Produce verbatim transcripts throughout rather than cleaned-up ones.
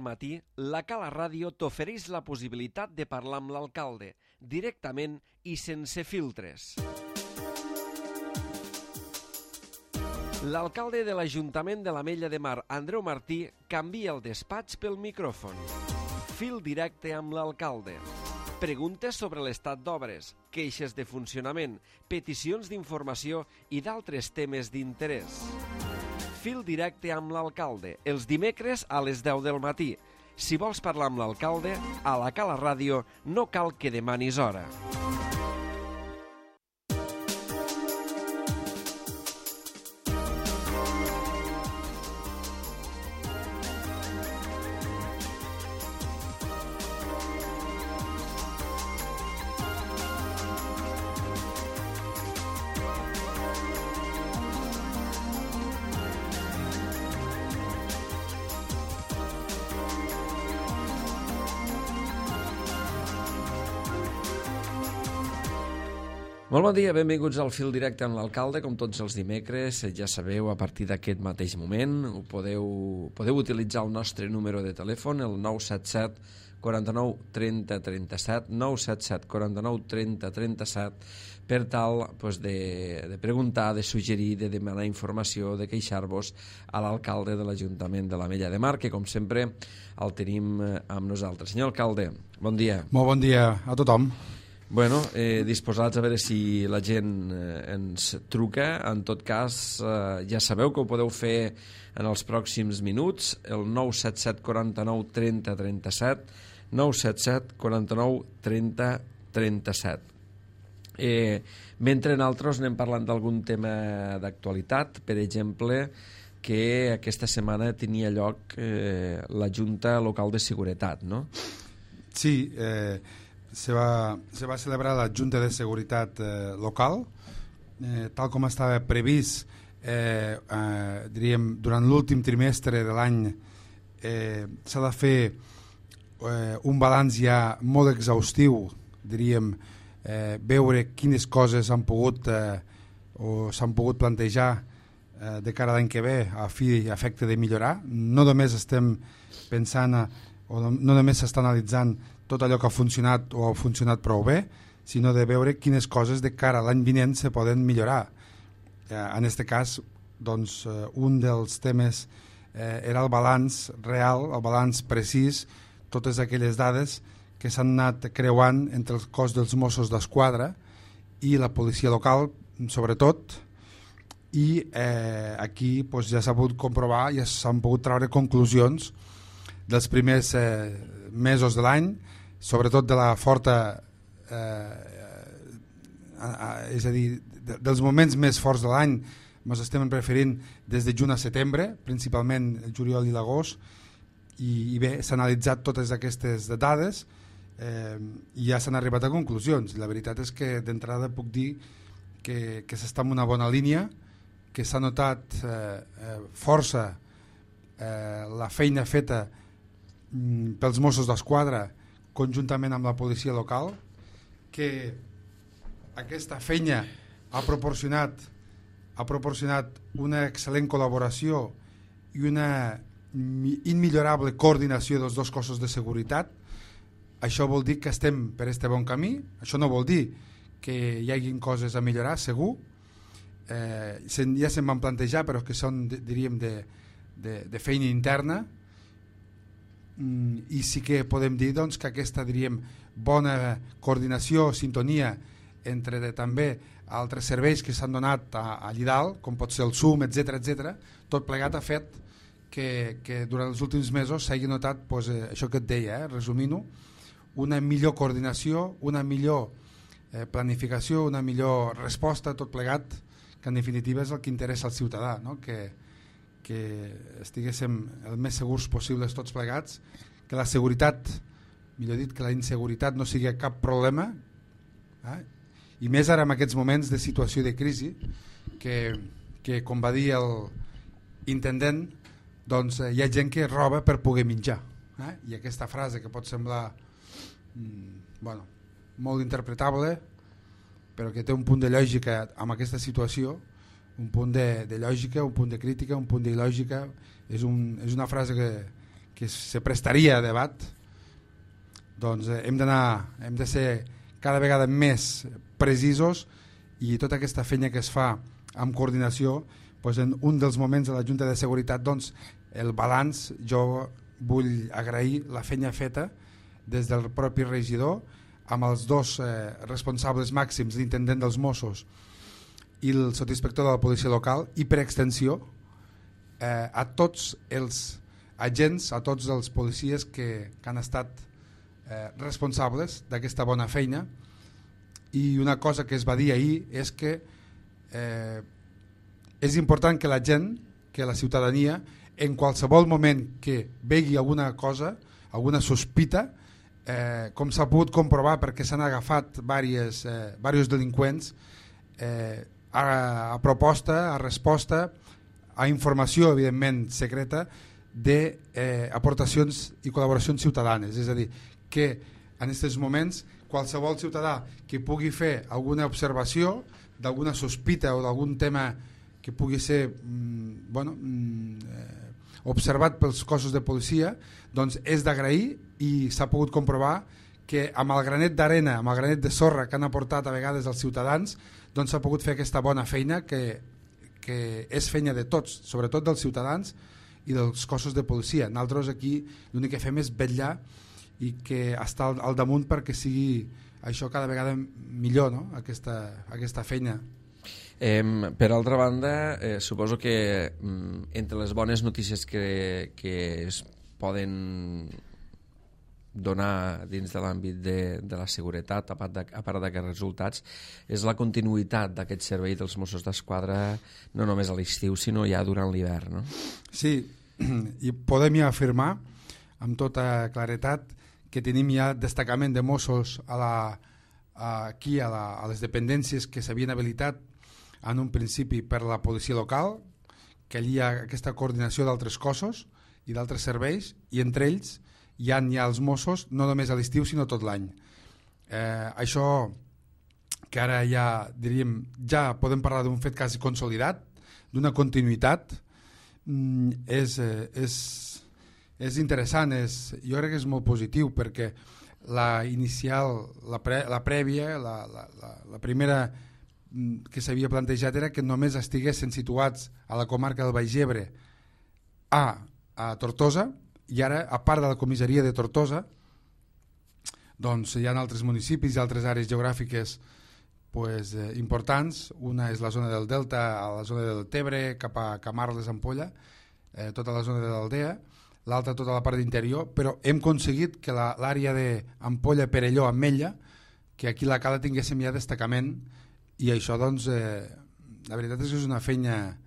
matí, la Cala Ràdio t'ofereix la possibilitat de parlar amb l'alcalde, directament i sense filtres. L'alcalde de l'Ajuntament de l'Ametlla de Mar, Andreu Martí, canvia el despatx pel micròfon. Fil directe amb l'alcalde. Preguntes sobre l'estat d'obres, queixes de funcionament, peticions d'informació i d'altres temes d'interès. Fil directe amb l'alcalde, els dimecres a les deu del matí. Si vols parlar amb l'alcalde, a la Cala Ràdio no cal que demanis hora. Molt bon dia, benvinguts al Fil Directe amb l'alcalde, com tots els dimecres. Ja sabeu, a partir d'aquest mateix moment ho podeu, podeu utilitzar el nostre número de telèfon, el nou set set, quaranta-nou, trenta, trenta-set, nou set set, quaranta-nou, trenta, trenta-set, per tal pues, de, de preguntar, de suggerir, de demanar informació, de queixar-vos a l'alcalde de l'Ajuntament de l'Ametlla de Mar, que com sempre el tenim amb nosaltres. Senyor alcalde, bon dia. Molt bon dia a tothom. Bueno, eh, disposats a veure si la gent eh, ens truca. En tot cas, eh, ja sabeu que ho podeu fer en els pròxims minuts, el nou set set, quaranta-nou, trenta, trenta-set, nou set set, quaranta-nou, trenta, trenta-set. Eh, mentre nosaltres anem parlant d'algun tema d'actualitat, per exemple, que aquesta setmana tenia lloc eh, la Junta Local de Seguretat, no? Sí, eh... Se va, se va celebrar la Junta de Seguretat eh, local, eh, tal com estava previst, eh, eh, diríem, durant l'últim trimestre de l'any eh, s'ha de fer eh, un balanç ja molt exhaustiu, diríem, eh, veure quines coses han pogut eh, o s'han pogut plantejar eh, de cara a l'any que ve a fi i efecte de millorar. No només estem pensant a, o no, no només s'està analitzant tot allò que ha funcionat o ha funcionat prou bé, sinó de veure quines coses de cara a l'any vinent se poden millorar. Eh, en aquest cas, doncs, eh, un dels temes eh, era el balanç real, el balanç precís, totes aquelles dades que s'han anat creuant entre el cos dels Mossos d'Esquadra i la policia local, sobretot, i eh, aquí doncs, ja s'ha pogut comprovar, ja s'han pogut treure conclusions dels primers eh, mesos de l'any, sobretot de la forta eh, eh, és a dir, de, dels moments més forts de l'any. Ens estem referint des de juny a setembre, principalment el juliol i l'agost, i, i bé, s'han analitzat totes aquestes dades eh, i ja s'han arribat a conclusions. La veritat és que d'entrada puc dir que, que s'està en una bona línia, que s'ha notat eh, eh, força eh, la feina feta mm, pels Mossos d'Esquadra conjuntament amb la policia local, que aquesta feina ha proporcionat ha proporcionat una excel·lent col·laboració i una immillorable coordinació dels dos cossos de seguretat. Això vol dir que estem per este bon camí. Això no vol dir que hi hagin coses a millorar, segur. Eh, ja se'n van plantejar, però que són, diríem, de, de, de feina interna. I sí que podem dir doncs, que aquesta, diríem, bona coordinació, sintonia entre de, també altres serveis que s'han donat a, a Llidal, com pot ser el S U M, etcètera, etcètera, tot plegat ha fet que, que durant els últims mesos s'hagi notat doncs, eh, això que et deia, eh, resumint-ho, una millor coordinació, una millor eh, planificació, una millor resposta, tot plegat, que en definitiva és el que interessa al ciutadà, no? que que estiguéssim el més segurs possibles tots plegats, que la seguretat, millor dit, que la inseguretat no sigui cap problema, eh? I més ara en aquests moments de situació de crisi, que, que com va dir l'intendent, doncs hi ha gent que roba per poder menjar. Eh? I aquesta frase que pot semblar mm, bueno, molt interpretable, però que té un punt de lògica amb aquesta situació, un punt de, de lògica, un punt de crítica, un punt de lògica, és, un, és una frase que, que se prestaria a debat, doncs eh, hem d'anar, hem de ser cada vegada més precisos, i tota aquesta feina que es fa amb coordinació, doncs en un dels moments de la Junta de Seguretat, doncs el balanç, jo vull agrair la feina feta des del propi regidor amb els dos eh, responsables màxims, l'intendent dels Mossos i el sotsinspector de la policia local, i per extensió eh, a tots els agents, a tots els policies que, que han estat eh, responsables d'aquesta bona feina. I una cosa que es va dir ahir és que eh, és important que la gent, que la ciutadania, en qualsevol moment que vegi alguna cosa, alguna sospita, eh, com s'ha pogut comprovar perquè s'han agafat diversos eh, delinqüents, eh, a, a proposta, a resposta, a informació evidentment secreta, d'aportacions eh, i col·laboracions ciutadanes. És a dir, que en aquests moments qualsevol ciutadà que pugui fer alguna observació d'alguna sospita o d'algun tema que pugui ser mm, bueno, mm, eh, observat pels cossos de policia, doncs és d'agrair, i s'ha pogut comprovar que amb el granet d'arena, amb el granet de sorra que han aportat a vegades els ciutadans, doncs s'ha pogut fer aquesta bona feina que, que és feina de tots, sobretot dels ciutadans i dels cossos de policia. Nosaltres aquí l'únic que fem és vetllar i que està al, al damunt perquè sigui això cada vegada millor, no? aquesta, aquesta feina. Eh, per altra banda, eh, suposo que mm, entre les bones notícies que, que es poden donar dins de l'àmbit de, de la seguretat, a part, de, a part d'aquests resultats, és la continuïtat d'aquest servei dels Mossos d'Esquadra, no només a l'estiu, sinó ja durant l'hivern, no? Sí, i podem ja afirmar amb tota claretat que tenim ja destacament de Mossos a la, a, aquí a, la, a les dependències que s'havien habilitat en un principi per la policia local, que allí hi ha aquesta coordinació d'altres cossos i d'altres serveis, i entre ells hi ha ja els Mossos, no només a l'estiu sinó tot l'any. Eh, això que ara ja diríem, ja podem parlar d'un fet quasi consolidat, d'una continuïtat, mm, és, és, és interessant, és, jo crec que és molt positiu, perquè la inicial, la, pre, la prèvia, la, la, la, la primera que s'havia plantejat era que només estiguessin situats a la comarca del Baix Ebre a, a Tortosa, i ara, a part de la comissaria de Tortosa, doncs hi ha altres municipis i altres àrees geogràfiques pues, eh, importants. Una és la zona del Delta, a la zona del Tebre, cap a Camarles, Ampolla, eh, tota la zona de l'Aldea, l'altra tota la part d'interior, però hem aconseguit que l'àrea d'Ampolla, Perelló, Ametlla, que aquí la Cala tinguéssim ja destacament. I això, doncs, eh, la veritat és que és una feina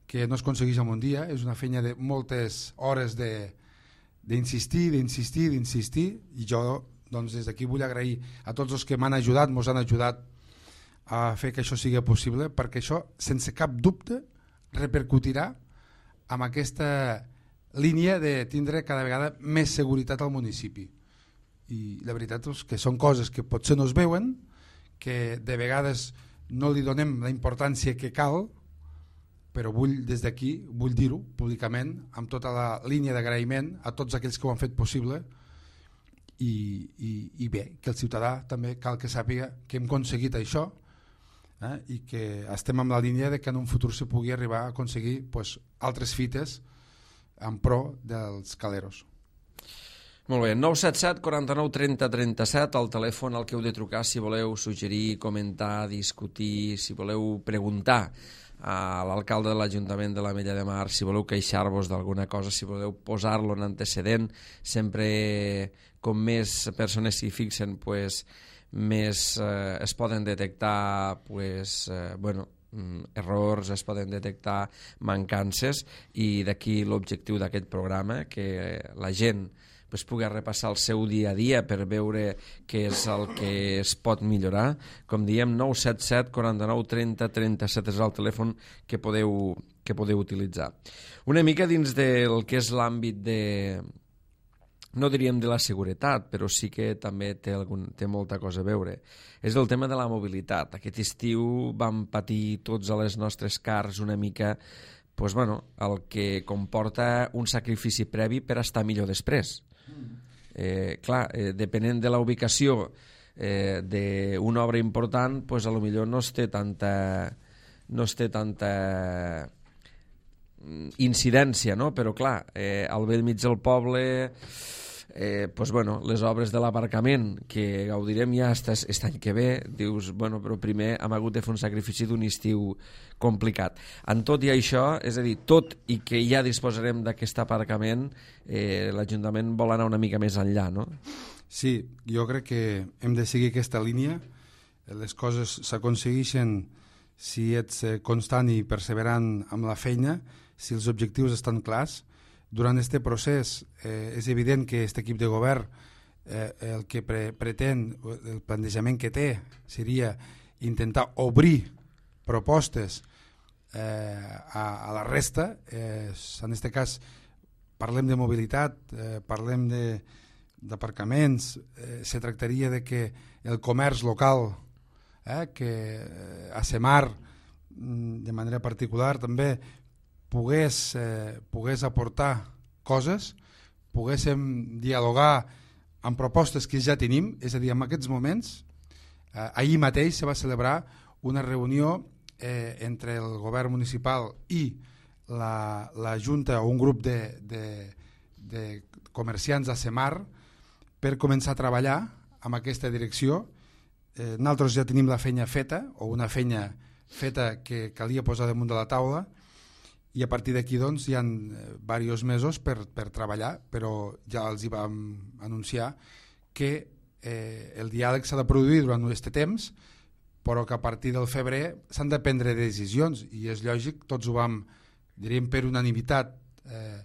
que no es aconsegueix en un dia, és una feina de moltes hores d'insistir, d'insistir, d'insistir, i jo, doncs, des d'aquí vull agrair a tots els que m'han ajudat, mos han ajudat a fer que això sigui possible, perquè això, sense cap dubte, repercutirà amb aquesta línia de tindre cada vegada més seguretat al municipi. I la veritat és que són coses que potser no es veuen, que de vegades no li donem la importància que cal, però vull des d'aquí, vull dir-ho públicament, amb tota la línia d'agraïment a tots aquells que ho han fet possible, i, i, i bé, que el ciutadà també cal que sàpiga que hem aconseguit això, eh, i que estem amb la línia de que en un futur se pugui arribar a aconseguir pues, altres fites en pro dels caleros. Molt bé, nou set set, quaranta-nou, trenta, trenta-set, el telèfon al que heu de trucar si voleu suggerir, comentar, discutir, si voleu preguntar a l'alcalde de l'Ajuntament de l'Ametlla de Mar, si voleu queixar-vos d'alguna cosa, si voleu posar-lo en antecedent, sempre com més persones s'hi fixen, pues, més eh, es poden detectar pues, eh, bueno, errors, es poden detectar mancances, i d'aquí l'objectiu d'aquest programa, que la gent pues, pugui repassar el seu dia a dia per veure què és el que es pot millorar. Com diem, nou set set, quaranta-nou, trenta, trenta-set és el telèfon que podeu, que podeu utilitzar. Una mica dins del que és l'àmbit de, no diríem de la seguretat, però sí que també té, algun, té molta cosa a veure. És el tema de la mobilitat. Aquest estiu vam patir tots a les nostres cars una mica pues, bueno, el que comporta un sacrifici previ per estar millor després. Eh, clar, eh, depenent de la ubicació eh, d'una obra important, pues, a lo millor no es té tanta no es té tanta incidència, no? Però clar, eh, al vell mig del poble, eh, pues, bueno, les obres de l'aparcament que gaudirem ja aquest any que ve, dius, bueno, però primer hem hagut de fer un sacrifici d'un estiu complicat. En tot i això, és a dir, tot i que ja disposarem d'aquest aparcament, eh, l'Ajuntament vol anar una mica més enllà, no? Sí, jo crec que hem de seguir aquesta línia. Les coses s'aconsegueixen si ets constant i perseverant amb la feina, si els objectius estan clars. Durant aquest procés eh, és evident que aquest equip de govern eh, el que pre pretén, el plantejament que té, seria intentar obrir propostes eh, a, a la resta. Eh, en aquest cas parlem de mobilitat, eh, parlem d'aparcaments, eh, se tractaria de que el comerç local, eh, que eh, a Semar de manera particular també pogués, eh, pogués aportar coses, poguéssim dialogar amb propostes que ja tenim, és a dir, en aquests moments, eh, ahir mateix se va celebrar una reunió eh, entre el govern municipal i la, la Junta o un grup de, de, de comerciants a Semar per començar a treballar en aquesta direcció. Eh, nosaltres ja tenim la feina feta, o una feina feta que calia posar damunt de la taula, i a partir d'aquí doncs, hi ha diversos mesos per, per treballar, però ja els hi vam anunciar que eh, el diàleg s'ha de produir durant aquest temps, però que a partir del febrer s'han de prendre decisions, i és lògic, tots ho vam, diríem per unanimitat, eh,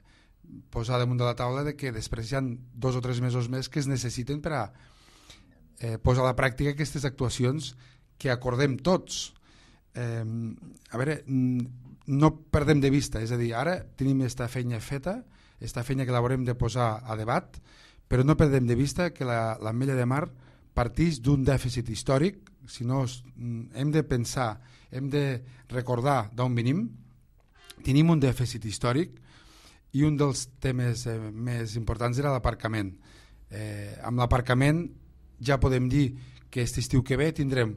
posar damunt de la taula de que després hi ha dos o tres mesos més que es necessiten per a eh, posar a la pràctica aquestes actuacions que acordem tots. Eh, a veure, no perdem de vista, és a dir, ara tenim aquesta feina feta, aquesta feina que l'haurem de posar a debat, però no perdem de vista que l'Ametlla de Mar parteix d'un dèficit històric, si no hem de pensar, hem de recordar d'on venim, tenim un dèficit històric i un dels temes eh, més importants era l'aparcament. Eh, amb l'aparcament ja podem dir que aquest estiu que ve tindrem,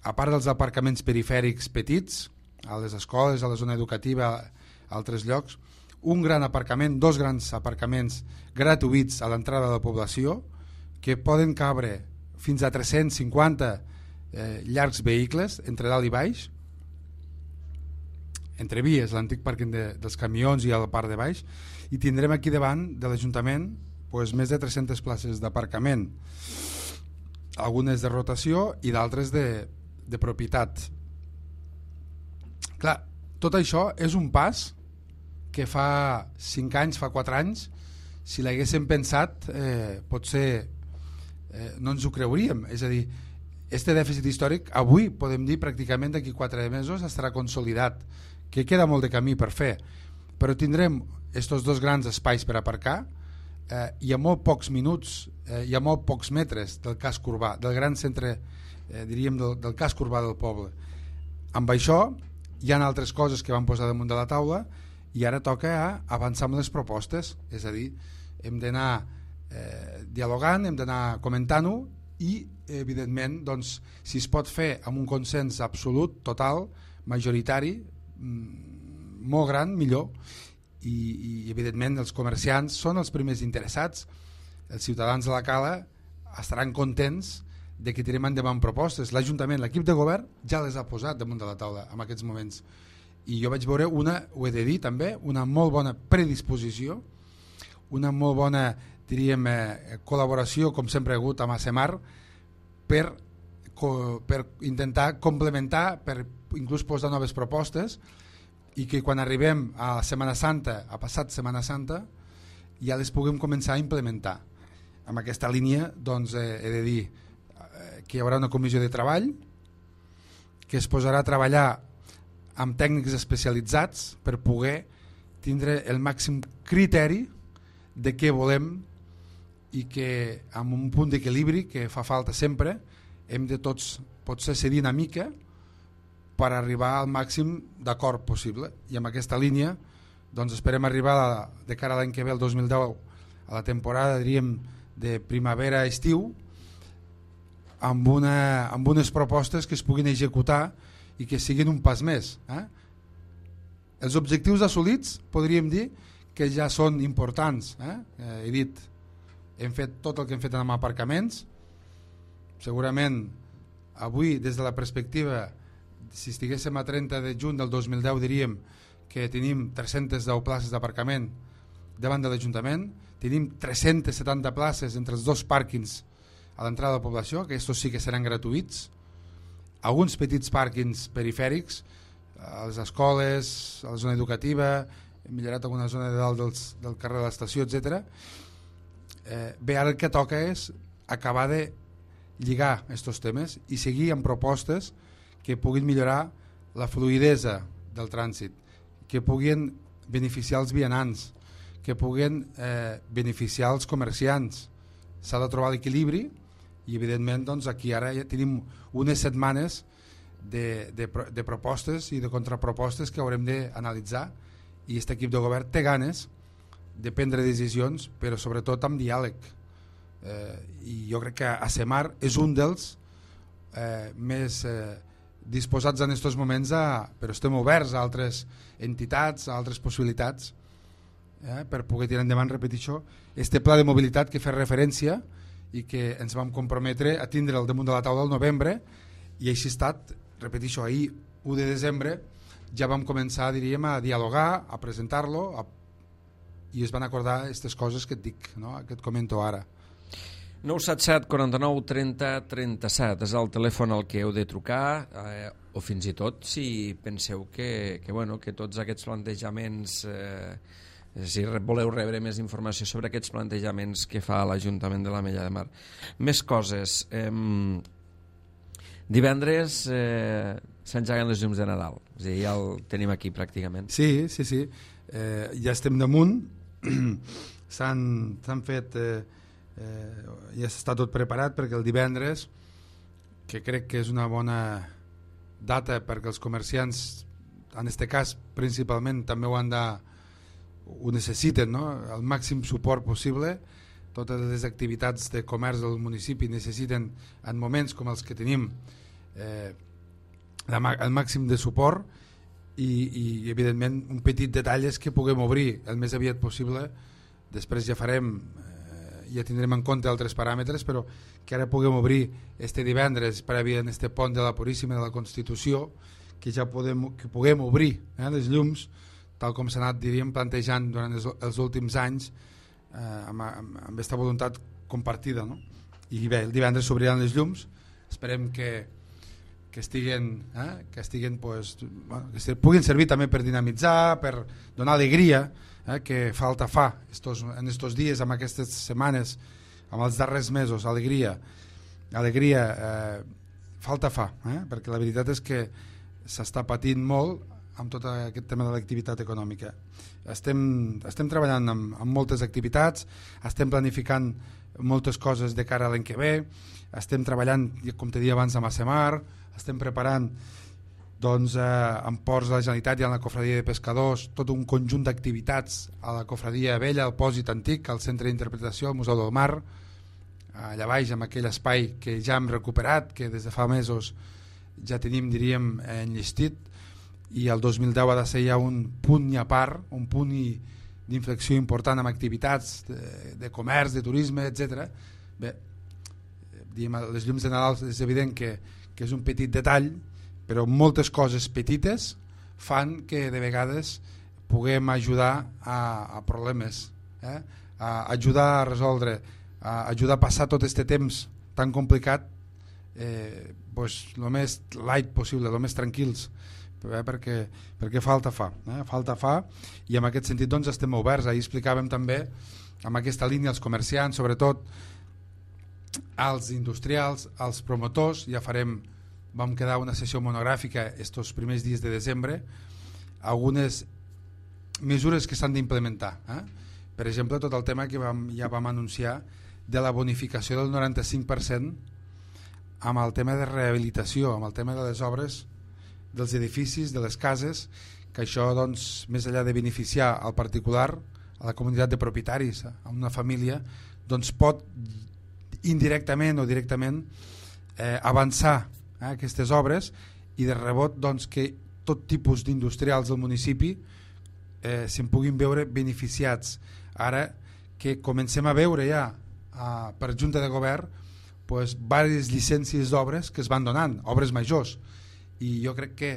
a part dels aparcaments perifèrics petits, a les escoles, a la zona educativa, a altres llocs, un gran aparcament, dos grans aparcaments gratuïts a l'entrada de la població, que poden cabre fins a tres-cents cinquanta eh, llargs vehicles entre dalt i baix, entre vies, l'antic pàrquing de, dels camions i al parc de baix, i tindrem aquí davant de l'Ajuntament pues, més de tres-centes places d'aparcament, algunes de rotació i d'altres de, de propietat. Clar, tot això és un pas que fa cinc anys, fa quatre anys, si l'haguéssim pensat, eh, potser eh, no ens ho creuríem. És a dir, este dèficit històric avui podem dir pràcticament d'aquí quatre mesos estarà consolidat, que queda molt de camí per fer, però tindrem estos dos grans espais per aparcar eh, i a molt pocs minuts eh, i a molt pocs metres del casc urbà, del gran centre, eh, diríem, del, del casc urbà del poble. Amb això hi ha altres coses que vam posar damunt de la taula i ara toca avançar amb les propostes, és a dir, hem d'anar eh, dialogant, hem d'anar comentant-ho i, evidentment, doncs, si es pot fer amb un consens absolut, total, majoritari, molt gran, millor, i, i evidentment els comerciants són els primers interessats, els ciutadans de la Cala estaran contents de que tirem endavant propostes. L'Ajuntament, l'equip de govern ja les ha posat damunt de la taula en aquests moments, i jo vaig veure una, ho he de dir també, una molt bona predisposició, una molt bona, diríem, eh, col·laboració, com sempre ha hagut amb Asemar, per, per intentar complementar, per inclús posar noves propostes, i que quan arribem a Setmana Santa, a passat Setmana Santa, ja les puguem començar a implementar. Amb aquesta línia, doncs, eh, he de dir eh, que hi haurà una comissió de treball que es posarà a treballar amb tècnics especialitzats per poder tindre el màxim criteri de què volem, i que amb un punt d'equilibri que fa falta sempre hem de tots potser cedir una mica per arribar al màxim d'acord possible, i amb aquesta línia doncs esperem arribar a, de cara a l'any que ve, el dos mil deu, a la temporada, diríem, de primavera-estiu, amb, una, amb unes propostes que es puguin executar i que siguin un pas més. Eh? Els objectius assolits podríem dir que ja són importants. Eh? Eh, he dit, hem fet tot el que hem fet amb aparcaments. Segurament avui, des de la perspectiva, si estiguéssim a trenta de juny del dos mil deu, diríem que tenim tres-centes deu places d'aparcament davant de l'Ajuntament, tenim tres-centes setanta places entre els dos pàrquings a l'entrada de la població, que estos sí que seran gratuïts, alguns petits pàrquings perifèrics, a les escoles, a la zona educativa, hem millorat alguna zona de dalt dels, del carrer de l'estació, etcètera. Eh, bé, ara el que toca és acabar de lligar aquests temes i seguir amb propostes que puguin millorar la fluïdesa del trànsit, que puguin beneficiar els vianants, que puguin eh, beneficiar els comerciants. S'ha de trobar l'equilibri i evidentment doncs, aquí ara ja tenim unes setmanes de, de, de propostes i de contrapropostes que haurem d'analitzar, i aquest equip de govern té ganes de prendre decisions, però sobretot amb diàleg. Eh, I jo crec que ASEMAR és un dels eh, més eh, disposats en aquests moments, a, però estem oberts a altres entitats, a altres possibilitats, eh, per poder tirar endavant, repeteixo, este pla de mobilitat que fa referència i que ens vam comprometre a tindre al damunt de la taula al novembre, i així ha estat, repeteixo, ahir u de desembre ja vam començar, diríem, a dialogar, a presentar-lo, a... i es van acordar aquestes coses que et dic, no? Que et comento ara. nou set set quaranta-nou trenta trenta-set és el telèfon al que heu de trucar, eh, o fins i tot si penseu que, que, bueno, que tots aquests plantejaments, eh, si voleu rebre més informació sobre aquests plantejaments que fa l'Ajuntament de l'Ametlla de Mar. Més coses. Eh, divendres eh, s'engeguen les llums de Nadal, és a dir, ja el tenim aquí pràcticament. Sí, sí, sí. Eh, ja estem damunt, s'han fet... Eh, Eh, ja està tot preparat perquè el divendres, que crec que és una bona data perquè els comerciants, en aquest cas principalment, també ho han de, ho necessiten, no? El màxim suport possible. Totes les activitats de comerç del municipi necessiten, en moments com els que tenim, eh, el màxim de suport, i, i evidentment un petit detall és que puguem obrir el més aviat possible. Després ja farem, ja tindrem en compte altres paràmetres, però que ara puguem obrir este divendres previ en este pont de la Puríssima de la Constitució, que ja podem, que puguem obrir eh, les llums, tal com s'ha anat, diríem, plantejant durant els, els últims anys, eh, amb, amb, amb aquesta voluntat compartida, no? I bé, el divendres s'obriran les llums, esperem que, que estiguen, eh, que estiguen pues, bueno, que se, puguin servir també per dinamitzar, per donar alegria, Eh, que falta fa estos, en estos dies, amb aquestes setmanes, amb els darrers mesos, alegria, alegria eh, falta fa, eh, perquè la veritat és que s'està patint molt amb tot aquest tema de l'activitat econòmica. Estem, estem treballant amb, amb moltes activitats, estem planificant moltes coses de cara a l'any que ve, estem treballant, com te deia abans, amb ASEMAR, estem preparant doncs, eh, en ports de la Generalitat i en la Cofradia de Pescadors tot un conjunt d'activitats a la Cofradia Vella, al Pòsit Antic, al Centre d'Interpretació, al Museu del Mar, allà baix, amb aquell espai que ja hem recuperat, que des de fa mesos ja tenim, diríem, enllestit, i el dos mil deu ha de ser ja un punt i a part, un punt d'inflexió important amb activitats de, de comerç, de turisme, etcètera. Bé, diguem, les llums de Nadal és evident que, que és un petit detall, però moltes coses petites fan que de vegades puguem ajudar a, a problemes, eh? a ajudar a resoldre, a ajudar a passar tot aquest temps tan complicat, eh, pues, el més light possible, el més tranquils, eh? perquè, perquè falta fa, eh? falta fa, i en aquest sentit doncs, estem oberts. Ahir explicàvem també amb aquesta línia als comerciants, sobretot als industrials, als promotors. Ja farem, vam quedar una sessió monogràfica estos primers dies de desembre, algunes mesures que s'han d'implementar, eh? Per exemple, tot el tema que vam, ja vam anunciar de la bonificació del noranta-cinc per cent amb el tema de rehabilitació, amb el tema de les obres dels edificis, de les cases, que això, doncs, més enllà de beneficiar al particular, a la comunitat de propietaris, a una família, doncs pot indirectament o directament eh, avançar eh, aquestes obres i de rebot doncs, que tot tipus d'industrials del municipi eh, se'n puguin veure beneficiats. Ara que comencem a veure ja a, per Junta de Govern pues, diverses llicències d'obres que es van donant, obres majors, i jo crec que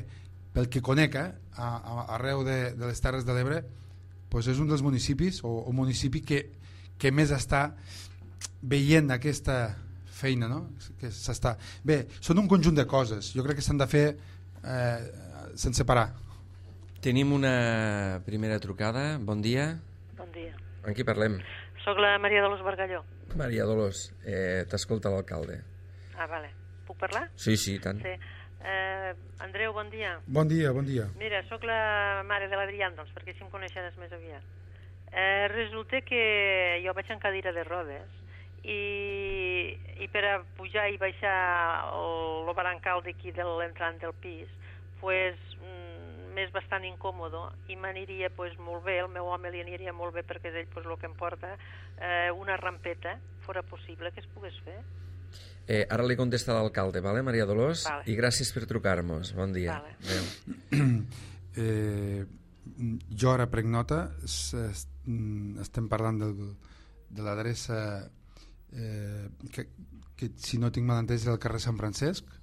pel que conec eh, a, a, arreu de, de les Terres de l'Ebre pues, és un dels municipis o, o municipi que, que més està veient aquesta feina, no? Que s'està... Bé, són un conjunt de coses, jo crec que s'han de fer eh, sense parar. Tenim una primera trucada, bon dia. Bon dia. Amb qui parlem? Soc la Maria Dolors Bargalló. Maria Dolors, eh, t'escolta l'alcalde. Ah, vale. Puc parlar? Sí, sí, tant. Sí. Eh, Andreu, bon dia. Bon dia, bon dia. Mira, sóc la mare de l'Adrián, doncs, perquè així em coneixeràs més aviat. Eh, resulta que jo vaig en cadira de rodes i, i per a pujar i baixar el, el barancal d'aquí de l'entrant del pis pues, mm, m'és bastant incòmodo i m'aniria pues, molt bé, el meu home li aniria molt bé perquè és ell pues, el que em porta eh, una rampeta, fora possible que es pogués fer. Eh, ara li contesta l'alcalde, vale, Maria Dolors? Vale. I gràcies per trucar-nos. Bon dia. Vale. Adéu. eh, jo ara prenc nota, estem parlant del, de l'adreça eh, que, que si no tinc mal entès és el carrer Sant Francesc.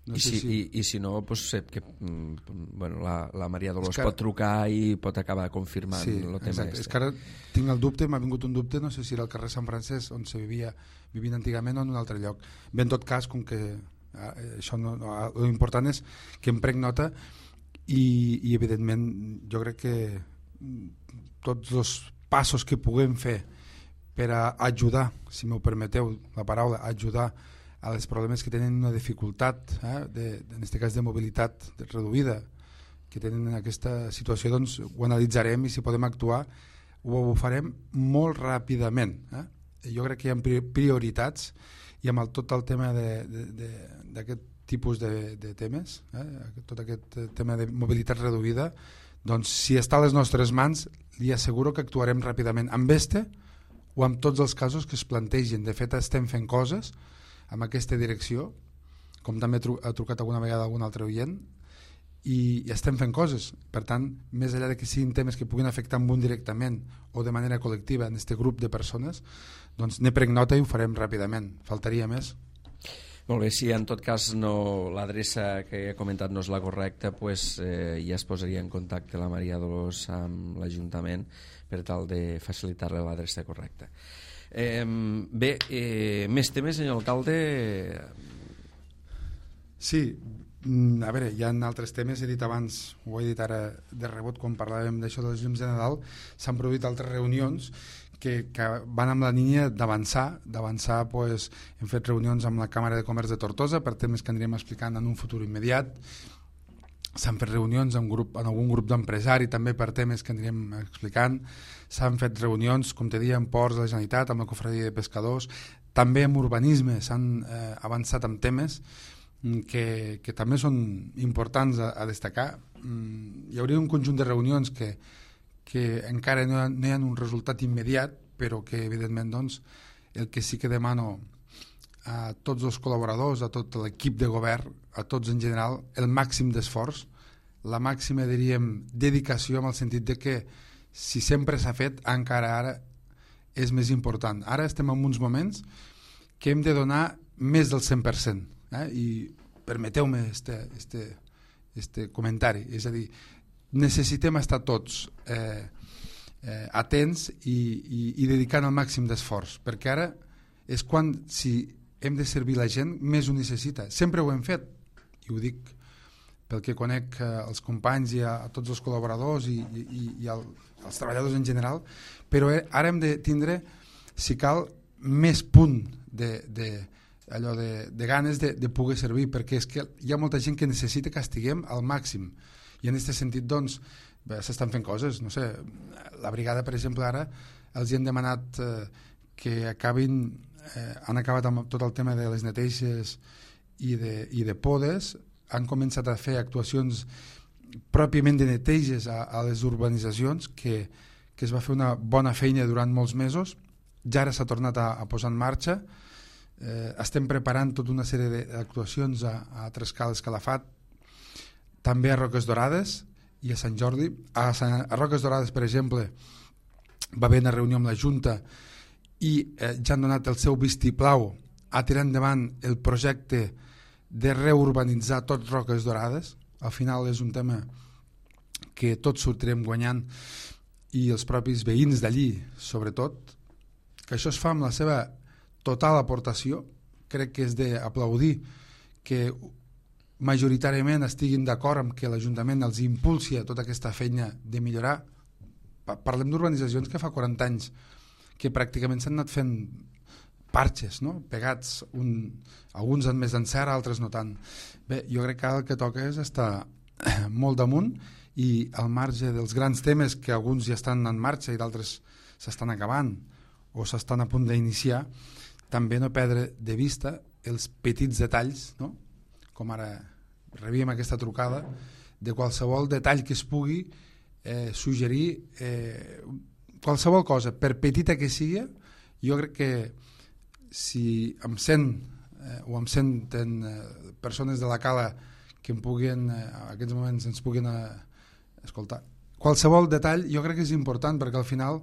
No I, sé si, si... i, I si no, pues, sé que mm, bueno, la, la Maria Dolors que... pot trucar i pot acabar confirmant sí, el tema exacte. este. És que ara tinc el dubte, m'ha vingut un dubte, no sé si era el carrer Sant Francesc on se vivia, vivint antigament o en un altre lloc. Bé, en tot cas, com que eh, això no, no, l'important és que em prenc nota i, i evidentment jo crec que tots els passos que puguem fer per a ajudar, si m'ho permeteu la paraula, ajudar a les problemes que tenen una dificultat, eh, de, en aquest cas de mobilitat reduïda, que tenen en aquesta situació, doncs ho analitzarem i si podem actuar ho, ho farem molt ràpidament. Eh? Jo crec que hi ha prioritats i amb el, tot el tema d'aquest tipus de, de temes, eh? Tot aquest tema de mobilitat reduïda, doncs si està a les nostres mans li asseguro que actuarem ràpidament amb este o amb tots els casos que es plantegen. De fet estem fent coses amb aquesta direcció, com també ha trucat alguna vegada algun altre oient, i, i estem fent coses. Per tant, més enllà de que siguin temes que puguin afectar amb un directament o de manera col·lectiva en aquest grup de persones, doncs ne prenc nota i ho farem ràpidament. Faltaria més. Molt bé, si en tot cas no, l'adreça que he comentat no és la correcta, pues, eh, ja es posaria en contacte la Maria Dolors amb l'Ajuntament per tal de facilitar-li l'adreça correcta. Eh, bé, eh, més temes, senyor alcalde? Sí, a veure, hi ha altres temes, he dit abans, ho he dit ara de rebot quan parlàvem d'això dels llums de Nadal, s'han produït altres reunions que, que van amb la línia d'avançar, d'avançar, pues, hem fet reunions amb la Càmera de Comerç de Tortosa per temes que anirem explicant en un futur immediat, s'han fet reunions en, grup, en algun grup d'empresari també per temes que anirem explicant, s'han fet reunions, com te deia, en ports de la Generalitat, amb la Cofradia de Pescadors, també en urbanisme s'han eh, avançat amb temes que, que també són importants a, a destacar. Mm, hi hauria un conjunt de reunions que, que encara no hi, ha, no hi ha un resultat immediat, però que evidentment doncs, el que sí que demano a tots els col·laboradors, a tot l'equip de govern, a tots en general, el màxim d'esforç, la màxima, diríem, dedicació, en el sentit de que si sempre s'ha fet, encara ara és més important. Ara estem en uns moments que hem de donar més del cent per cent, eh? I permeteu-me este, este, este comentari, és a dir, necessitem estar tots eh, eh, atents i, i, i dedicant el màxim d'esforç, perquè ara és quan, si hem de servir la gent, més ho necessita. Sempre ho hem fet, i ho dic pel que conec eh, els companys i a, a tots els col·laboradors i, i, i el, els treballadors en general, però eh, ara hem de tindre, si cal, més punt de, de, allò de, de ganes de, de poder servir, perquè és que hi ha molta gent que necessita que estiguem al màxim, i en aquest sentit doncs s'estan fent coses, no sé, la brigada per exemple ara els hi han demanat eh, que acabin, eh, han acabat amb tot el tema de les neteixes i de, i de podes, han començat a fer actuacions pròpiament de neteges a, a les urbanitzacions, que, que es va fer una bona feina durant molts mesos. Ja ara s'ha tornat a, a posar en marxa. Eh, estem preparant tota una sèrie d'actuacions a, a Trescales Calafat, també a Roques Dorades i a Sant Jordi. A, Sant, a Roques Dorades, per exemple, va haver una reunió amb la Junta i eh, ja han donat el seu vistiplau a tirar endavant el projecte de reurbanitzar tot Roques Dorades. Al final és un tema que tots sortirem guanyant, i els propis veïns d'allí, sobretot, que això es fa amb la seva total aportació. Crec que és d'aplaudir que majoritàriament estiguin d'acord amb que l'Ajuntament els impulsi a tota aquesta feina de millorar. Parlem d'urbanitzacions que fa quaranta anys que pràcticament s'han anat fent parxes, no? Pegats, un, alguns han més d'encert, altres no tant. Bé, jo crec que el que toca és estar molt damunt, i al marge dels grans temes que alguns ja estan en marxa i d'altres s'estan acabant o s'estan a punt d'iniciar, també no perdre de vista els petits detalls, no? Com ara rebíem aquesta trucada, de qualsevol detall que es pugui eh, suggerir, eh, qualsevol cosa, per petita que sigui. Jo crec que si em sent eh, o em senten eh, persones de la Cala que em puguin, eh, en aquests moments ens puguin eh, escoltar, qualsevol detall jo crec que és important, perquè al final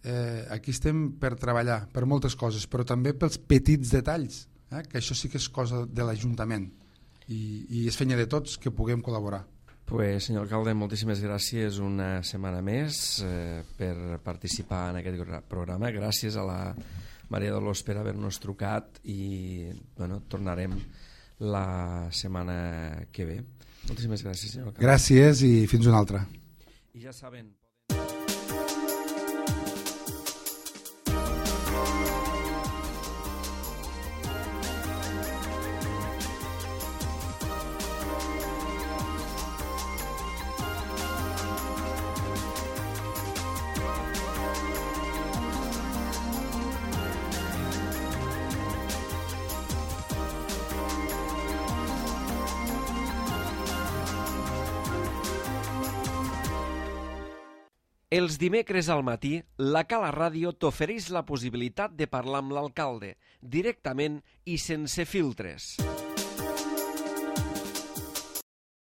eh, aquí estem per treballar per moltes coses, però també pels petits detalls, eh, que això sí que és cosa de l'Ajuntament, i, i és feina de tots que puguem col·laborar. Pues, senyor alcalde, moltíssimes gràcies una setmana més eh, per participar en aquest programa. Gràcies a la Maria Dolors per haver-nos trucat, i bueno, tornarem la setmana que ve. Moltíssimes gràcies, senyor alcalde. Gràcies i fins una altra. I ja saben... Els dimecres al matí, la Cala Ràdio t'ofereix la possibilitat de parlar amb l'alcalde, directament i sense filtres.